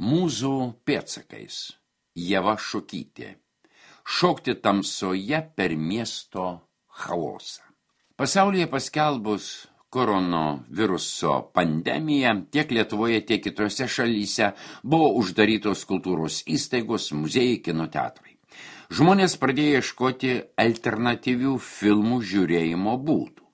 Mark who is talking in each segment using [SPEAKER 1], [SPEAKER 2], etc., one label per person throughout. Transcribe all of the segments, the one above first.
[SPEAKER 1] Mūzų pėdsakais. Ieva Šukytė. Šokti tamsoje per miesto chaosą. Pasaulyje paskelbus koronaviruso pandemiją tiek Lietuvoje, tiek kitose šalyse buvo uždarytos kultūros įstaigos, muziejai, kino teatrai. Žmonės pradėjo ieškoti alternatyvių filmų žiūrėjimo būdų.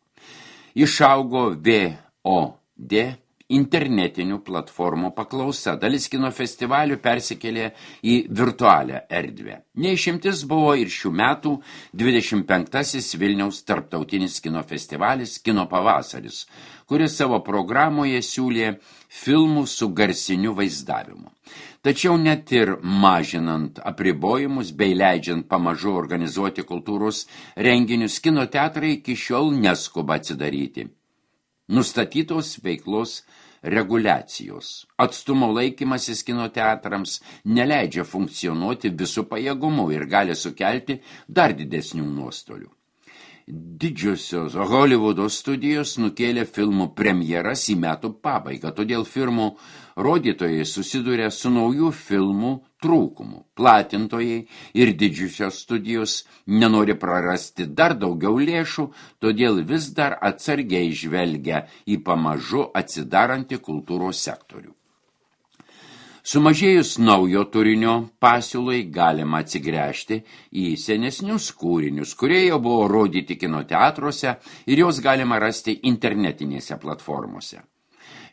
[SPEAKER 1] Išaugo VOD internetinių platformų paklausa. Dalis kino festivalių persikėlė į virtualią erdvę. Neišimtis buvo ir šių metų 25-asis Vilniaus tarptautinis kino festivalis Kino pavasaris, kuris savo programoje siūlė filmų su garsiniu vaizdavimu. Tačiau net ir mažinant apribojimus bei leidžiant pamažu organizuoti kultūros renginius, kino teatrai iki šiol neskuba atsidaryti. Nustatytos veiklos reguliacijos. Atstumo laikymasis kino teatrams neleidžia funkcionuoti visų pajėgumų ir gali sukelti dar didesnių nuostolių. Didžiosios Hollywoodo studijos nukėlė filmų premjeras į metų pabaigą, todėl filmų rodytojai susiduria su naujų filmų trūkumu. Platintojai ir didžiosios studijos nenori prarasti dar daugiau lėšų, todėl vis dar atsargiai žvelgia į pamažu atsidarantį kultūros sektorių. Sumažėjus naujo turinio pasiūlai galima atsigręžti į senesnius kūrinius, kurie jau buvo rodyti kino teatruose ir jos galima rasti internetinėse platformose.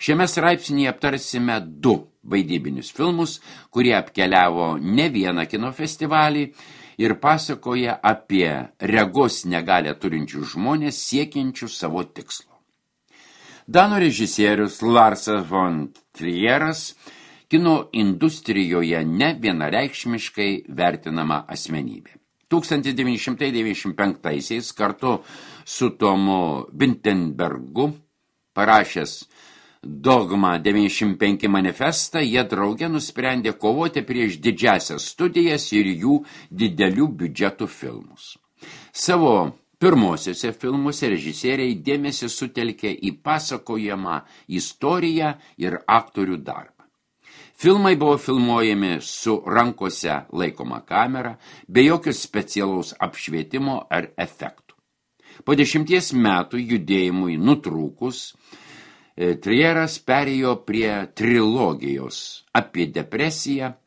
[SPEAKER 1] Šiame straipsnyje aptarsime 2 vaidybinius filmus, kurie apkeliavo ne vieną kino festivalį ir pasakoja apie regos negalią turinčių žmonės siekiančių savo tikslo. Danų režisierius Larsas von Trieras kino industrijoje ne vienareikšmiškai vertinama asmenybė. 1995-aisiais kartu su Tomu Vinterbergu parašęs Dogma 95 manifestą, jie drauge nusprendė kovoti prieš didžiasias studijas ir jų didelių biudžetų filmus. Savo pirmosiuose filmuose režisieriai dėmesį sutelkė į pasakojamą istoriją ir aktorių darbą. Filmai buvo filmuojami su rankose laikoma kamera, be jokio specialaus apšvietimo ar efektų. Po 10 metų judėjimui nutrūkus, Trieras perėjo prie trilogijos apie depresiją,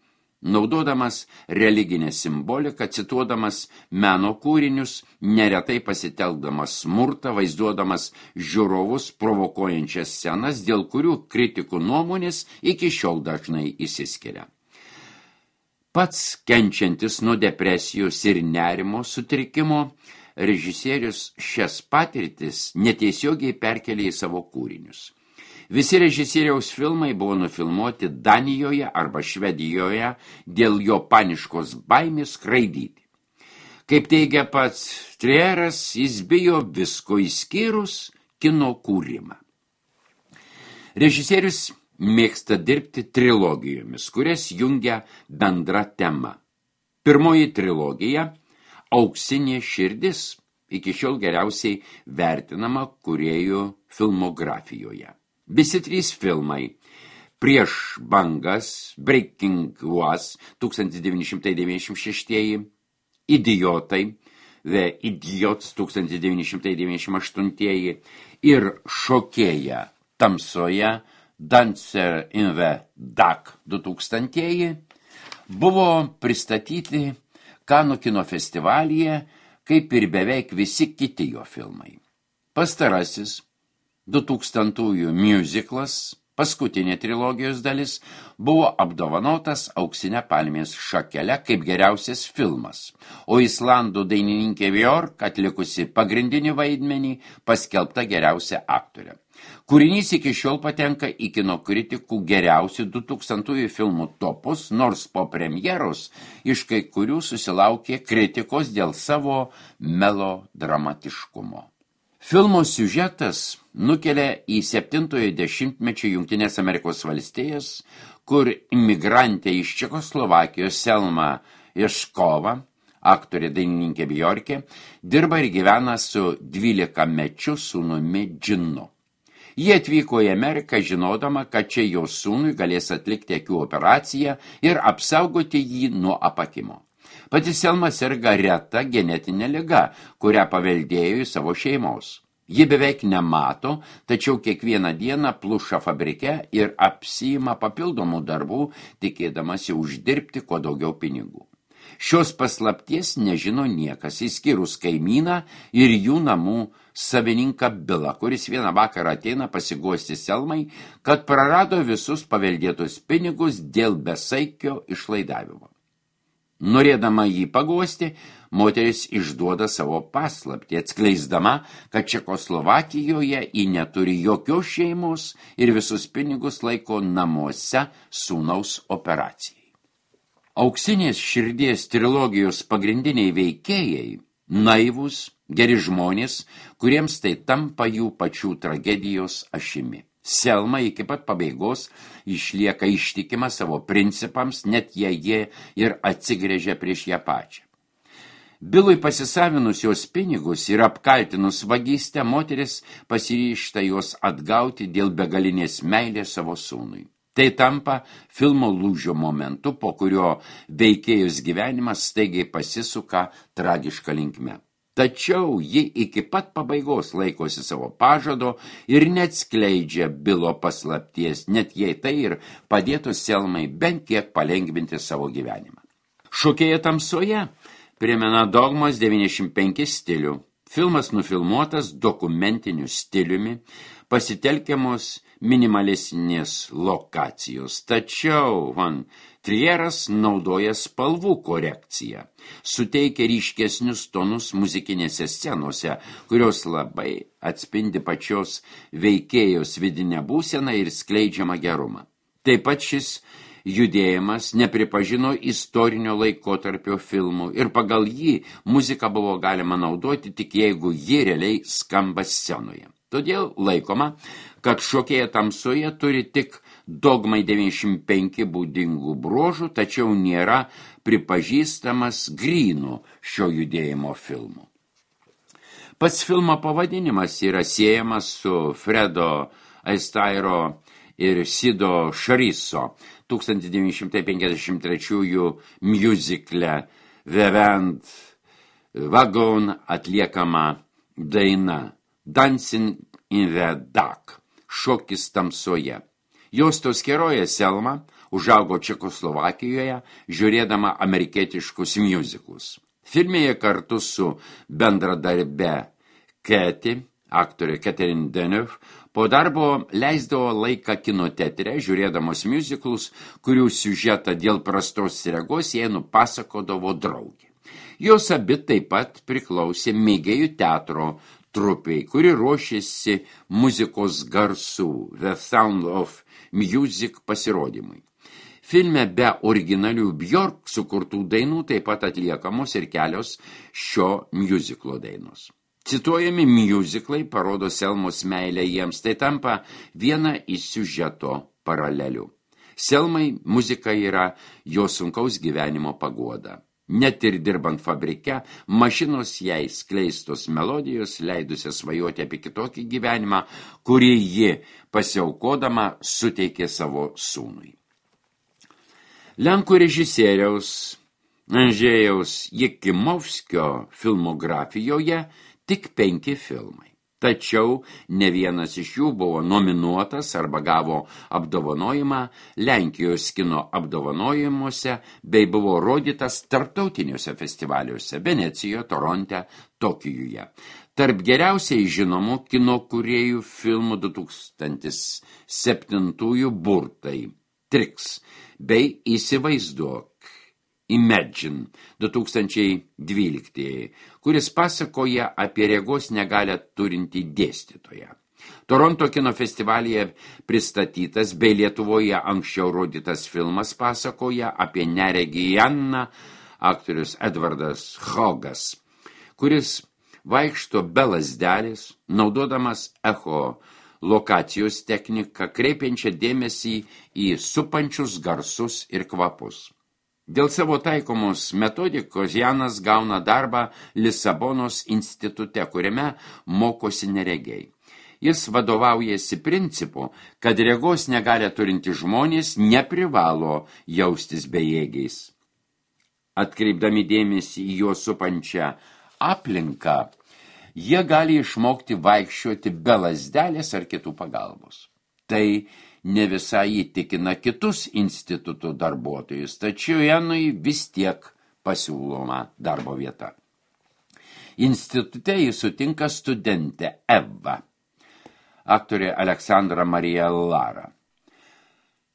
[SPEAKER 1] naudodamas religinę simboliką, cituodamas meno kūrinius, neretai pasitelkdamas smurtą, vaizduodamas žiūrovus provokuojančias scenas, dėl kurių kritikų nuomonės iki šiol dažnai išsiskiria. Pats kenčiantis nuo depresijos ir nerimo sutrikimo, režisierius šias patirtis netiesiogiai perkelė į savo kūrinius. Visi režisieriaus filmai buvo nufilmuoti Danijoje arba Švedijoje dėl jo paniškos baimės skraidyti. Kaip teigia pats Trieras, jis bijo visko išskyrus kino kūrimą. Režisierius mėgsta dirbti trilogijomis, kurias jungia bendra tema. Pirmoji trilogija – Auksinė širdis, iki šiol geriausiai vertinama kūrėjų filmografijoje. Visi 3 filmai – Prieš bangas, Breaking Was 1996, Idiotai, The Idiots 1998 ir Šokėja tamsoje, Dancer in the Dark 2000 buvo pristatyti Kanų kino festivalyje, kaip ir beveik visi kiti jo filmai. Pastarasis 2000-ųjų musiclas, paskutinė trilogijos dalis, buvo apdovanotas Auksinę palmės šakele kaip geriausias filmas, o islandų dainininkė Björk, atlikusi pagrindinį vaidmenį, paskelbta geriausia aktorė. Kūrinys iki šiol patenka į kino kritikų geriausių 2000-ųjų filmų topus, nors po premjeros iš kai kurių susilaukė kritikos dėl savo melodramatiškumo. Filmo siužetas nukelia į 70-ojo dešimtmečio Jungtinės Amerikos valstijas, kur imigrantė iš Čekoslovakijos Selma Ješkova, aktorė dainininkė Bjorkė, dirba ir gyvena su 12-mečiu sūnumi Džinu. Jie atvyko į Ameriką žinodama, kad čia jo sūnui galės atlikti akių operaciją ir apsaugoti jį nuo apakimo. Pati Selma serga reta genetinė liga, kurią paveldėjo iš savo šeimos. Ji beveik nemato, tačiau kiekvieną dieną pluša fabrike ir apsiima papildomų darbų, tikėdamasi uždirbti kuo daugiau pinigų. Šios paslapties nežino niekas, išskyrus kaimyną ir jų namų savininką Bilą, kuris vieną vakarą ateina pasiguosti Selmai, kad prarado visus paveldėtus pinigus dėl besaikio išlaidavimo. Norėdama jį paguosti, moteris išduoda savo paslaptį, atskleisdama, kad Čekoslovakijoje ji neturi jokios šeimos ir visus pinigus laiko namuose sūnaus operacijai. Auksinės širdies trilogijos pagrindiniai veikėjai – naivūs, geri žmonės, kuriems tai tampa jų pačių tragedijos ašimi. Selma iki pat pabaigos išlieka ištikima savo principams, net jei jie ir atsigręžia prieš ją pačią. Bilui pasisavinus jos pinigus ir apkaltinus vagystę, moteris pasiryžta juos atgauti dėl begalinės meilės savo sūnui. Tai tampa filmo lūžio momentu, po kurio veikėjos gyvenimas staigiai pasisuka tragiška linkme. Tačiau ji iki pat pabaigos laikosi savo pažado ir neatskleidžia Bilo paslapties, net jei tai ir padėtų Selmai bent kiek palengvinti savo gyvenimą. Šokėja tamsoje primena Dogmos 95 stilių. Filmas nufilmuotas dokumentiniu stiliumi, pasitelkiamos minimalesnės lokacijos. Tačiau Trieras naudoja spalvų korekciją, suteikia ryškesnius tonus muzikinėse scenose, kurios labai atspindi pačios veikėjos vidinę būseną ir skleidžiamą gerumą. Taip pat šis judėjimas nepripažino istorinio laikotarpio filmų ir pagal jį muziką buvo galima naudoti tik jeigu ji realiai skamba scenoje. Todėl laikoma, kad Šokėja tamsoje turi tik Dogmai 95 būdingų bruožų, tačiau nėra pripažįstamas grynų šio judėjimo filmų. Pats filmo pavadinimas yra siejamas su Fredo Astairo ir Sido Šariso 1953 miuzikle Vevent Wagon atliekama daina Dancing in the Dark, šokis tamsoje. Juostos herojė Selma užaugo Čekoslovakijoje, žiūrėdama amerikietiškus miuziklus. Filmėje kartu su bendradarbe Keti, aktorė Catherine Deneuve, po darbo leisdavo laiką kino teatre, žiūrėdamos miuziklus, kurių siužetą dėl prastos regos jai nupasakodavo draugė. Jos abi taip pat priklausė mėgėjų teatro trupiai, kuri ruošėsi muzikos garsų The Sound of Music pasirodymui. Filme be originalių Björk sukurtų dainų taip pat atliekamos ir kelios šio miuziklo dainos. Cituojami miuziklai parodo Selmos meilę jiems, tai tampa viena iš siužeto paralelių. Selmai muzika yra jo sunkaus gyvenimo paguoda. Net ir dirbant fabrike, mašinos jai skleistos melodijos leidusias svajoti apie kitokį gyvenimą, kurį ji pasiaukodama suteikė savo sūnui. Lenkų režisieriaus Andžejaus Jekimovskio filmografijoje tik 5 filmai. Tačiau ne vienas iš jų buvo nominuotas arba gavo apdovanojimą Lenkijos kino apdovanojimuose bei buvo rodytas tarptautiniuose festivaliuose Venecijoje, Toronte, Tokijuje. Tarp geriausiai žinomų kino kūrėjų filmų 2007 burtai Trix bei Įsivaizduok Imagine 2012, kuris pasakoja apie regos negalią turintį dėstytoją. Toronto kino festivalyje pristatytas bei Lietuvoje anksčiau rodytas filmas pasakoja apie neregį Janną, aktorius Edvardas Hogas, kuris vaikšto be lazdelės, naudodamas echo lokacijos techniką, kreipiančią dėmesį į supančius garsus ir kvapus. Dėl savo taikomos metodikos Janas gauna darbą Lisabonos institute, kuriame mokosi neregiai. Jis vadovaujasi principu, kad regos negalę turinti žmonės neprivalo jaustis bejėgiais. Atkreipdami dėmesį į juos supančią aplinką, jie gali išmokti vaikščioti be lazdelės ar kitų pagalbos. Tai ne visai įtikina kitus institutų darbuotojus, tačiau Janui vis tiek pasiūloma darbo vieta. Institute jis sutinka studentę Eva, aktorė Aleksandra Marija Lara.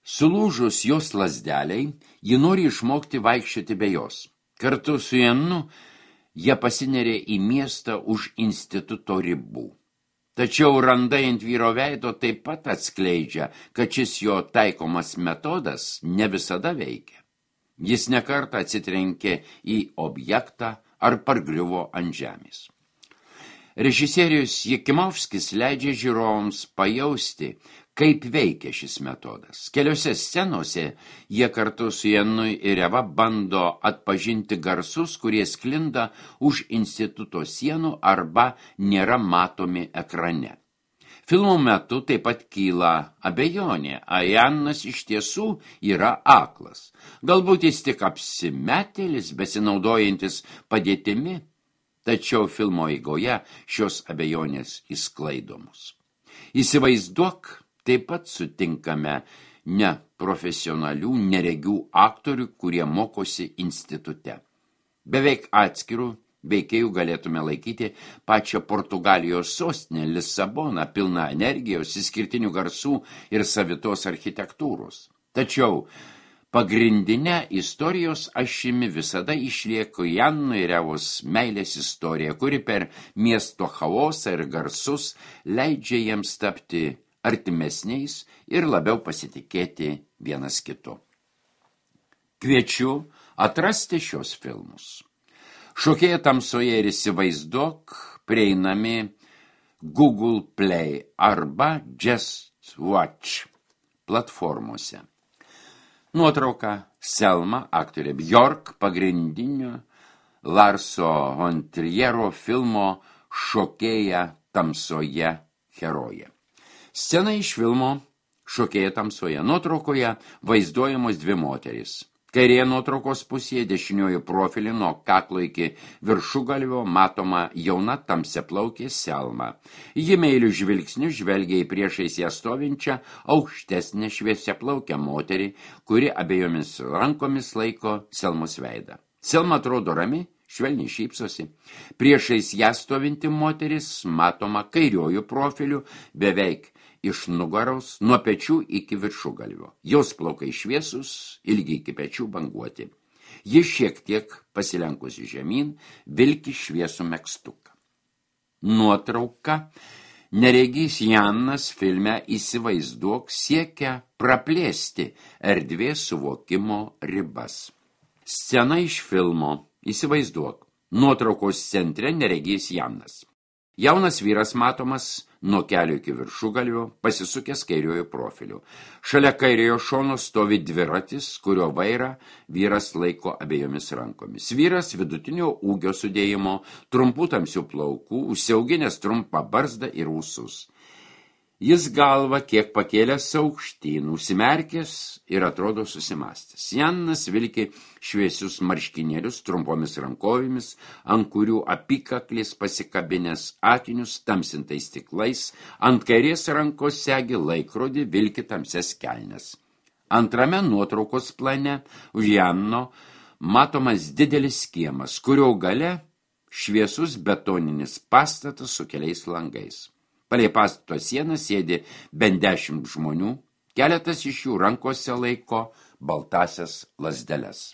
[SPEAKER 1] Sulūžus jos lazdeliai, ji nori išmokti vaikščioti be jos. Kartu su Janu jie pasinerė į miestą už instituto ribų. Tačiau randai ant vyro veido taip pat atskleidžia, kad šis jo taikomas metodas ne visada veikia. Jis nekartą atsitrenkė į objektą ar pargriuvo ant žemės. Režisierius Jakimovskis leidžia žiūrovams pajausti, kaip veikia šis metodas. Keliose scenose jie kartu su Janu ir Eva bando atpažinti garsus, kurie sklinda už instituto sienų arba nėra matomi ekrane. Filmo metu taip pat kyla abejonė, ar Janas iš tiesų yra aklas. Galbūt jis tik apsimetėlis, besinaudojantis padėtimi, tačiau filmo eigoje šios abejonės išsklaidomos. Įsivaizduok, taip pat sutinkame neprofesionalių, neregių aktorių, kurie mokosi institute. Beveik atskirų veikėjų galėtume laikyti pačią Portugalijos sostinę Lisaboną, pilną energijos, išskirtinių garsų ir savitos architektūros. Tačiau pagrindinė istorijos ašimi visada išlieka Jano ir Evos meilės istorija, kuri per miesto chaosą ir garsus leidžia jiems tapti artimesniais ir labiau pasitikėti vienas kitu. Kviečiu atrasti šios filmus. Šokėja tamsoje ir įsivaizduok prieinami Google Play arba Just Watch platformose. Nuotrauka Selma, aktorė Bjork, pagrindinio Larso von Triero filmo Šokėja tamsoje herojė. Scena iš filmo Šokėja tamsoje. Nuotraukoje vaizduojamos dvi moterys. Kairėje nuotraukos pusėje dešiniojo profilį nuo kaklo iki viršugalvio matoma jauna tamsiaplaukė Selma. Ji meiliu žvilgsniu žvelgia į priešais ją stovinčią aukštesnę šviesiaplaukę moterį, kuri abiejomis rankomis laiko Selmos veidą. Selma atrodo rami, švelniai šypsosi. Priešais ją stovinti moteris matoma kairiuoju profiliu beveik iš nugaros nuo pečių iki viršugalvio. Jos plaukai šviesus, ilgi iki pečių banguoti. Ji šiek tiek pasilenkusi žemyn, vilki šviesų megztuką. Nuotrauka neregys Janas filme Įsivaizduok siekia praplėsti erdvės suvokimo ribas. Scena iš filmo Įsivaizduok. Nuotraukos centre neregys Janas. Jaunas vyras matomas nuo kelio iki viršugalvio, pasisukęs kairiojo profiliu. Šalia kairiojo šono stovi dviratis, kurio vairą vyras laiko abiejomis rankomis. Vyras vidutinio ūgio sudėjimo, trumpų tamsių plaukų, užsiauginęs trumpą barzdą ir ūsus. Jis galva kiek pakėlęs aukštyn, užsimerkęs ir atrodo susimastęs. Janas vilki šviesius marškinėlius trumpomis rankovėmis, ant kurių apykaklis pasikabinęs akinius tamsintais stiklais, ant kairės rankos segi laikrodį, vilki tamsias kelnes. Antrame nuotraukos plane už Jano matomas didelis kiemas, kurio gale šviesus betoninis pastatas su keliais langais. Palei pastato sieną sėdi bent 10 žmonių, keletas iš jų rankose laiko baltasias lazdeles.